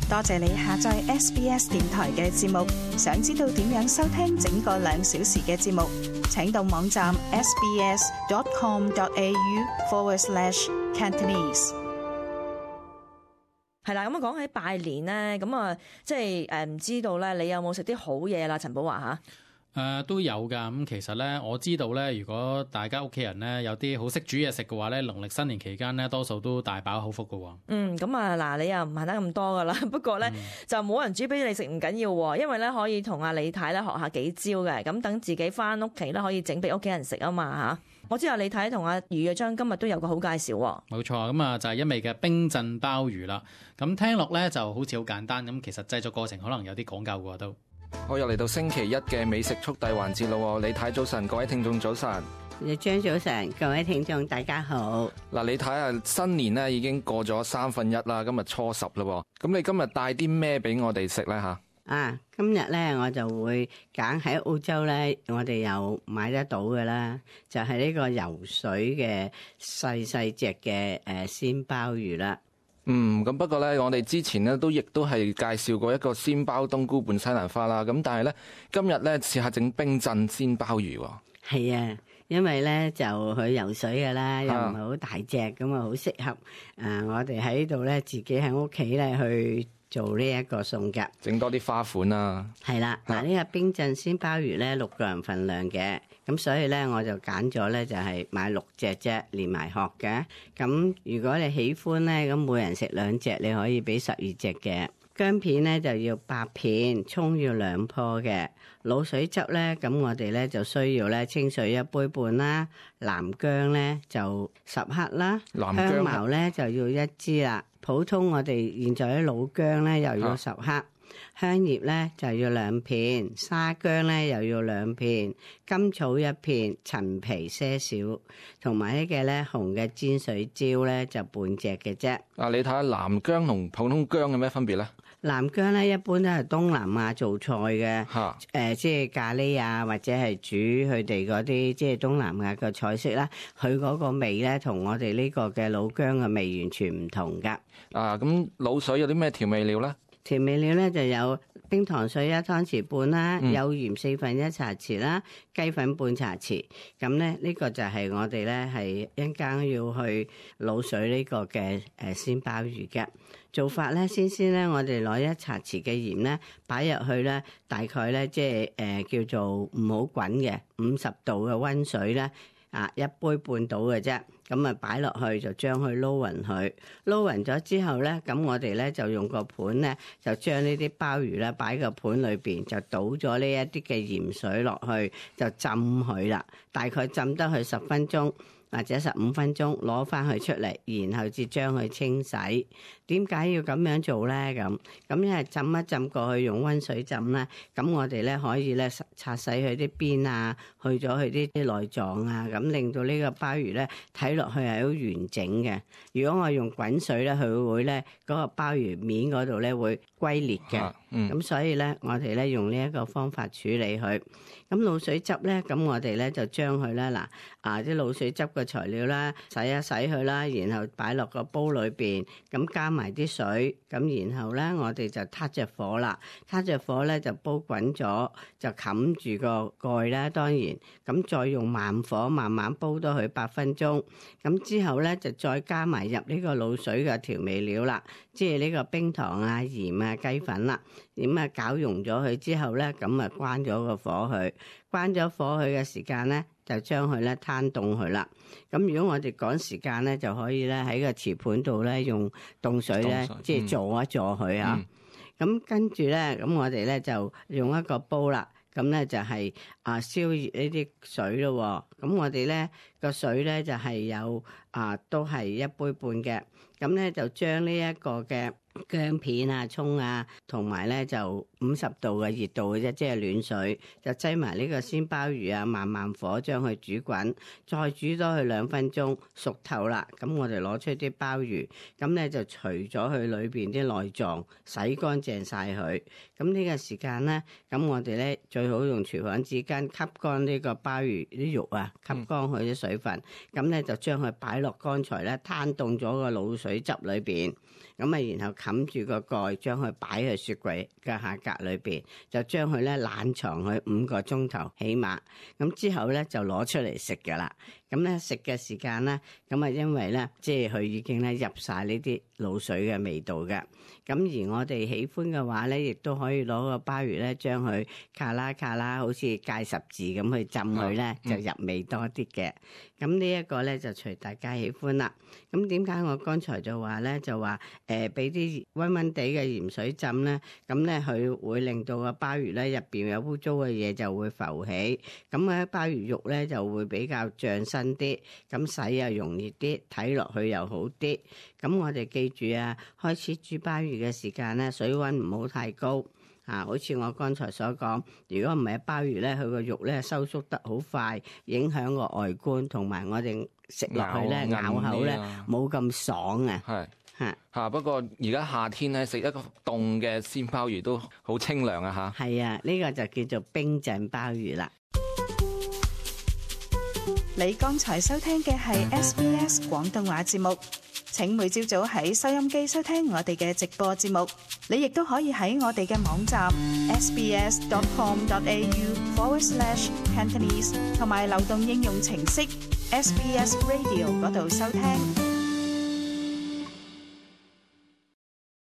多謝你下載 SBS 電台嘅節目。想知道點樣收聽整個2小時嘅節目，請到網站 sbs.com.au/Cantonese。係啦，咁講起拜年咧，咁啊，即係唔知道咧，你有冇食啲好嘢啦？陳寶華嚇。都有㗎，咁其實咧我知道咧，如果大家屋企人咧有啲好識煮嘢食嘅話咧，農曆新年期間咧多數都大飽口福㗎喎。咁啊嗱，你又唔行得咁多㗎啦，不過咧就冇人煮俾你食唔緊要喎，因為咧可以同阿李太咧學下幾招嘅，咁等自己翻屋企咧可以整俾屋企人食啊嘛嚇。我知道李太同阿余嘅章今日都有個好介紹喎。冇錯，咁啊就係一味嘅冰鎮鮑魚啦。咁聽落咧就好似好簡單，咁其實製作過程可能有啲講究㗎都。我又嚟到星期一嘅美食速遞環節咯，李太早晨，各位聽眾早晨。張早晨，各位聽眾大家好。嗱，李太啊，新年咧已經過咗1/3啦，今日初10啦，咁你今日帶啲咩俾我哋食咧吓？今日咧我就會揀喺澳洲咧，我哋有買得到嘅啦，就係呢個游水嘅細細隻嘅鮮鮑魚啦。咁不過咧，我哋之前咧亦都係介紹過一個鮮鮑冬菇拌西蘭花啦。咁但係咧，今日咧試下整冰鎮鮮鮑魚喎。係啊，因為咧就去游水嘅啦，又唔係好大隻，咁啊好適合我哋喺度咧自己喺屋企咧去做呢一個餸嘅，整多啲花款啊。係啦，嗱呢個冰鎮鮮鮑魚咧6個人份量嘅。咁所以咧，我就揀咗咧，就係買6隻啫，連埋殼嘅。咁如果你喜歡咧，咁每人食2隻，你可以俾12隻嘅。薑片咧就要8片，蔥要2棵嘅。滷水汁咧，咁我哋咧就需要咧清水1杯半啦，南薑咧就10克啦，香茅咧就要1支啦。普通我哋現在啲老薑咧又要10克。香葉咧就要2片，沙薑咧又要2片，甘草1片，陳皮些少，同埋呢個咧紅嘅煎水椒咧就半隻嘅啫。你睇下南薑同普通薑有咩分別咧？南薑咧一般都係東南亞做菜嘅，即係咖喱啊，或者係煮佢哋嗰啲即係東南亞嘅菜式啦。佢嗰個味咧同我哋呢個嘅老薑嘅味完全唔同噶。咁滷水有啲咩調味料咧？調味料咧就有冰糖水1湯匙半啦，有鹽1/4茶匙啦，雞粉半茶匙。咁咧呢個就係我哋咧係一陣間要去滷水呢個嘅鮮鮑魚嘅做法咧。先咧，我哋攞1茶匙嘅鹽咧擺入去咧，大概咧即係叫做唔好滾嘅50度嘅溫水咧，1杯半到嘅啫。咁啊擺落去就將佢撈勻佢，撈勻咗之後咧，咁我哋咧就用個盤咧，就將呢啲鮑魚咧擺個盤裏邊，就倒咗呢一啲嘅鹽水落去，就浸佢啦。大概浸得佢10分鐘或者15分鐘，攞翻佢出嚟，然後至將佢清洗。點解要咁樣做咧？咁因為浸一浸過去用溫水浸咧，咁我哋咧可以咧擦洗佢啲邊啊，去咗佢啲內臟啊，咁令到呢個鮑魚咧睇落去係好完整嘅。如果我用滾水咧，佢會咧嗰個鮑魚面嗰度咧會龜裂嘅。咁所以咧，我哋咧用呢一個方法處理佢。咁滷水汁咧，咁我哋咧就將佢咧啲滷水汁嘅材料啦，洗一洗佢啦，然後擺落個煲裏邊，咁加埋啲水，咁然後咧我哋就撻着火啦，撻着火咧就煲滾咗，就冚住個蓋啦。當然，咁再用慢火慢慢煲多佢8分鐘，咁之後咧就再加埋入呢個滷水嘅調味料啦，即係呢個冰糖啊、鹽啊、雞粉啦，咁啊攪溶咗佢之後咧，咁啊關咗個火去，關咗火去嘅時間咧，就將佢咧攤凍佢啦。咁如果我哋趕時間咧，就可以咧喺個瓷盤度咧用凍水咧，即係坐一坐佢啊。咁跟住咧，咁我哋咧就用一個煲啦。咁咧就係燒熱呢啲水咯。咁我哋咧個水咧就係有都係1杯半嘅。咁咧就將呢一個嘅薑片啊、蔥啊，同埋咧就50度嘅熱度嘅啫，即係暖水，就擠埋呢個鮮鮑魚啊，慢火將佢煮滾，再煮多佢2分鐘，熟透啦。咁我哋攞出啲鮑魚，咁咧就除咗佢裏邊啲內臟，洗乾淨晒佢。咁呢個時間咧，咁我哋咧最好用廚房紙巾吸乾呢個鮑魚啲肉啊，吸乾佢啲水分。咁咧就將佢擺落剛才咧攤凍咗個滷水汁裏邊。咁啊然後冚住個蓋，將佢擺喺雪櫃嘅下格裏邊，就將佢咧冷藏佢5個鐘頭起碼，咁之後咧就攞出嚟食噶啦。咁咧食嘅時間咧，咁啊因為咧即係佢已經咧入晒呢啲滷水嘅味道嘅。咁而我哋喜歡嘅話咧，亦都可以攞個鮑魚咧，將佢卡啦，好似戒十字咁去浸佢咧，就入味多啲嘅。咁呢一個咧就隨大家喜歡啦。咁點解我剛才就話咧，就話俾啲溫溫地嘅鹽水浸咧，咁咧佢會令到個鮑魚咧入邊有污糟嘅嘢就會浮起，咁咧鮑魚肉咧就會比較脹身啲，咁洗又容易啲，睇落去又好啲。咁我哋記住啊，開始煮鮑魚嘅時間咧，水溫唔好太高。好似我剛才所講，如果唔係鮑魚咧，佢個肉咧收縮得好快，影響個外觀，同埋我哋食落去咧咬口咧冇咁爽啊。係嚇嚇，不過而家夏天咧食一個凍嘅鮮鮑魚都好清涼啊嚇。係啊，呢個就叫做冰鎮鮑魚啦。你剛才收聽嘅係 SBS 廣東話節目。請每朝早喺收音機收聽我哋嘅直播節目，你亦都可以喺我哋嘅網站 sbs.com.au/Cantonese 同埋流動應用程式 SBS Radio 嗰度收聽。